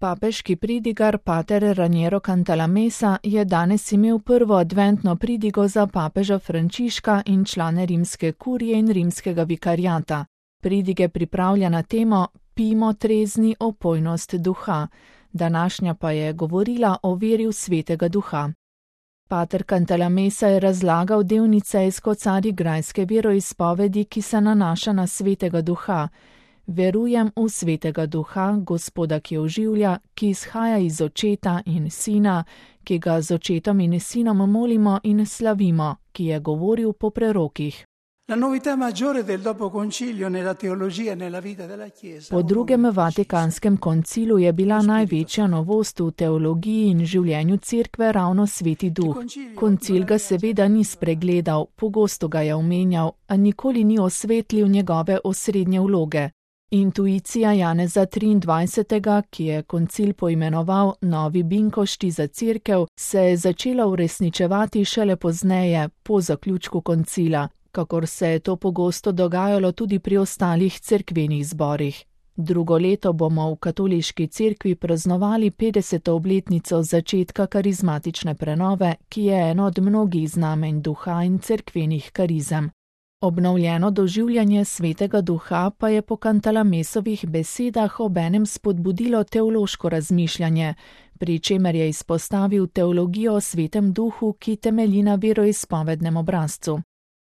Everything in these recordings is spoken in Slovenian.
Papeški pridigar pater Raniero Cantalamessa je danes imel prvo adventno pridigo za papeža Frančiška in člane rimske kurije in rimskega vikariata. Pridige pripravlja na temo Pijmo trezni opojnost duha, današnja pa je govorila o veri v svetega duha. Pater Cantalamessa je razlagal del nicejsko-carigrajske veroizpovedi, ki se nanaša na svetega duha. Verujem v svetega duha, Gospoda, ki oživlja, ki izhaja iz Očeta in Sina, ki ga z Očetom in Sinom molimo in slavimo, ki je govoril po prerokih. Po drugem Vatikanskem koncilu je bila največja novost v teologiji in življenju cerkve ravno sveti duh. Koncil ga seveda ni spregledal, pogosto ga je omenjal, a nikoli ni osvetlil njegove osrednje vloge. Intuicija Janeza 23., ki je koncil poimenoval Novi Binkošti za cerkev, se je začela uresničevati šele pozneje, po zaključku koncila, kakor se je to pogosto dogajalo tudi pri ostalih cerkvenih zborih. Drugo leto bomo v katoliški cerkvi praznovali 50. obletnico začetka karizmatične prenove, ki je eno od mnogih znamenj duha in cerkvenih karizem. Obnovljeno doživljanje svetega duha pa je po Cantalamessovih besedah obenem spodbudilo teološko razmišljanje, pri čemer je izpostavil teologijo o svetem duhu, ki temelji na veroizpovednem obrazcu.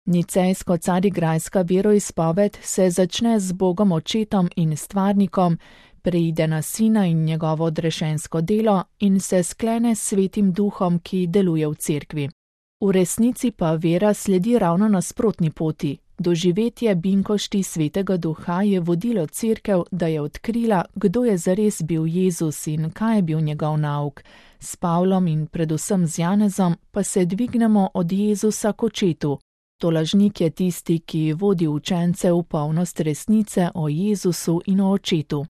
Nicejsko-carigrajska veroizpoved se začne z Bogom Očetom in Stvarnikom, preide na Sina in njegovo odrešensko delo in se sklene s svetim duhom, ki deluje v cerkvi. V resnici pa vera sledi ravno nasprotni poti. Doživetje binkošti svetega duha je vodilo cerkev, da je odkrila, kdo je zares bil Jezus in kaj je bil njegov nauk. S Pavlom in predvsem z Janezom pa se dvignemo od Jezusa k Očetu. Tolažnik je tisti, ki vodi učence v polnost resnice o Jezusu in o Očetu.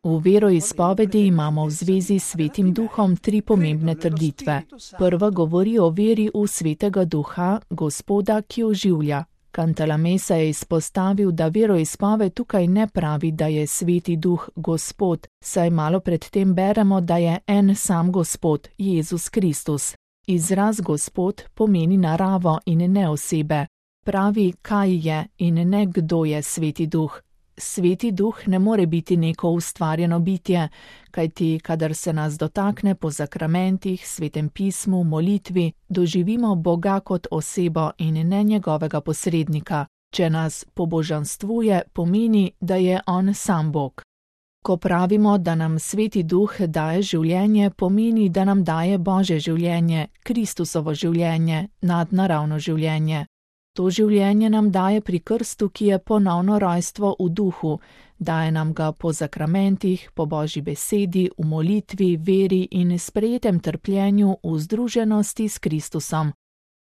V veroizpovedi imamo v zvezi s svetim duhom tri pomembne trditve. Prva govori o veri v svetega duha, Gospoda, ki oživlja. Cantalamessa je izpostavil, da veroizpoved tukaj ne pravi, da je sveti duh Gospod, saj malo predtem beremo, da je en sam Gospod, Jezus Kristus. Izraz Gospod pomeni naravo in ne osebe. Pravi, kaj je in ne kdo je sveti duh. Sveti duh ne more biti neko ustvarjeno bitje, kajti kadar se nas dotakne po zakramentih, svetem pismu, molitvi, doživimo Boga kot osebo in ne njegovega posrednika. Če nas pobožanstvuje, pomeni, da je on sam Bog. Ko pravimo, da nam sveti duh daje življenje, pomeni, da nam daje Božje življenje, Kristusovo življenje, nadnaravno življenje. To življenje nam daje pri krstu, ki je ponovno rojstvo v duhu, daje nam ga po zakramentih, po Božji besedi, v molitvi, veri in sprejetem trpljenju v združenosti s Kristusom.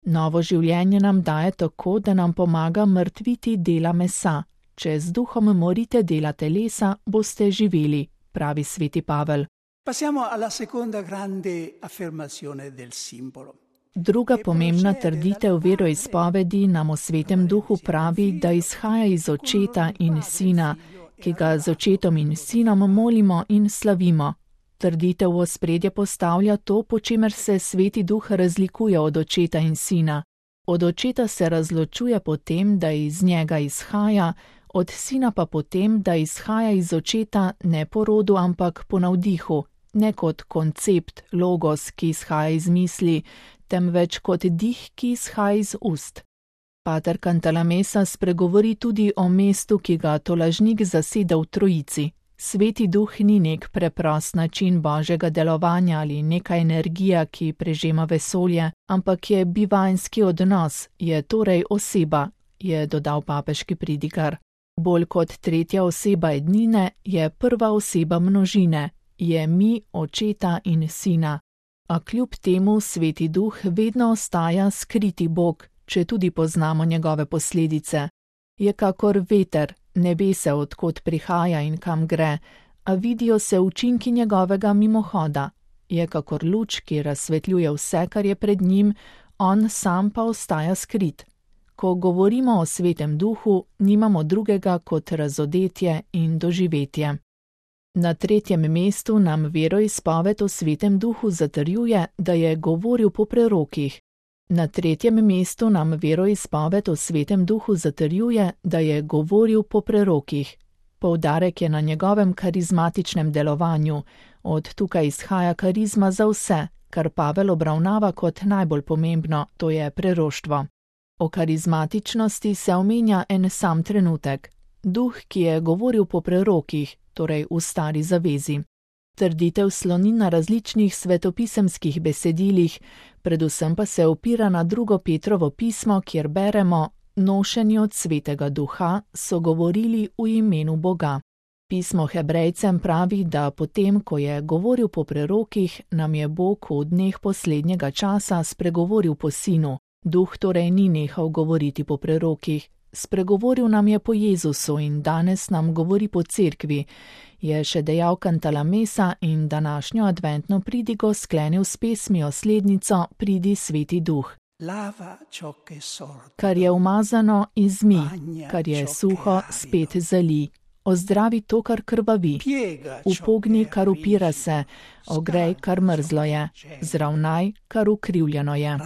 Novo življenje nam daje tako, da nam pomaga mrtviti dela mesa. Če z duhom morite dela telesa, boste živeli, pravi sveti Pavel. Passiamo alla seconda grande affermazione del simbolo. Druga pomembna trditev veroizpovedi nam o svetem duhu pravi, da izhaja iz Očeta in Sina, ki ga z Očetom in Sinom molimo in slavimo. Trditev v ospredje postavlja to, po čemer se sveti duh razlikuje od Očeta in Sina. Od Očeta se razločuje po tem, da iz njega izhaja, od Sina pa po tem, da izhaja iz Očeta ne po rodu, ampak po navdihu, ne kot koncept, logos, ki izhaja iz misli, temveč kot dih, ki izhaja iz ust. Pater Cantalamessa spregovori tudi o mestu, ki ga tolažnik zaseda v Trojici. Sveti duh ni nek preprost način Božjega delovanja ali neka energija, ki prežema vesolje, ampak je bivanjski odnos, je torej oseba, je dodal papeški pridigar. Bolj kot tretja oseba ednine je prva oseba množine, je mi, Očeta in Sina. A kljub temu sveti duh vedno ostaja skriti Bog, če tudi poznamo njegove posledice. Je kakor veter, ne ve se, od kod prihaja in kam gre, a vidijo se učinki njegovega mimohoda. Je kakor luč, ki razsvetljuje vse, kar je pred njim, on sam pa ostaja skrit. Ko govorimo o Svetem Duhu, nimamo drugega kot razodetje in doživetje. Na 3. mestu nam veroizpoved o Svetem Duhu zatrjuje, da je govoril po prerokih. Na 3. mestu nam veroizpoved o Svetem Duhu zatrjuje, da je govoril po prerokih. Poudarek je na njegovem karizmatičnem delovanju. Od tukaj izhaja karizma za vse, kar Pavel obravnava kot najbolj pomembno, to je preroštvo. O karizmatičnosti se omenja en sam trenutek. Duh, ki je govoril po prerokih, torej v Stari zavezi. Trditev sloni na različnih svetopisemskih besedilih, predvsem pa se opira na 2. Petrovo pismo, kjer beremo: nošeni od Svetega Duha so govorili v imenu Boga. Pismo Hebrejcem pravi, da potem, ko je govoril po prerokih, nam je Bog v dneh poslednjega časa spregovoril po Sinu. Duh torej ni nehal govoriti po prerokih. Spregovoril nam je po Jezusu in danes nam govori po cerkvi, je še dejal Cantalamessa in današnjo adventno pridigo sklenil s pesmijo slednico Pridi Sveti Duh. Kar je umazano, izmi, kar je suho, spet zali. Ozdravi to, kar krvavi. Upogni, kar upira se. Ogrej, kar mrzlo je. Zravnaj, kar ukrivljeno je.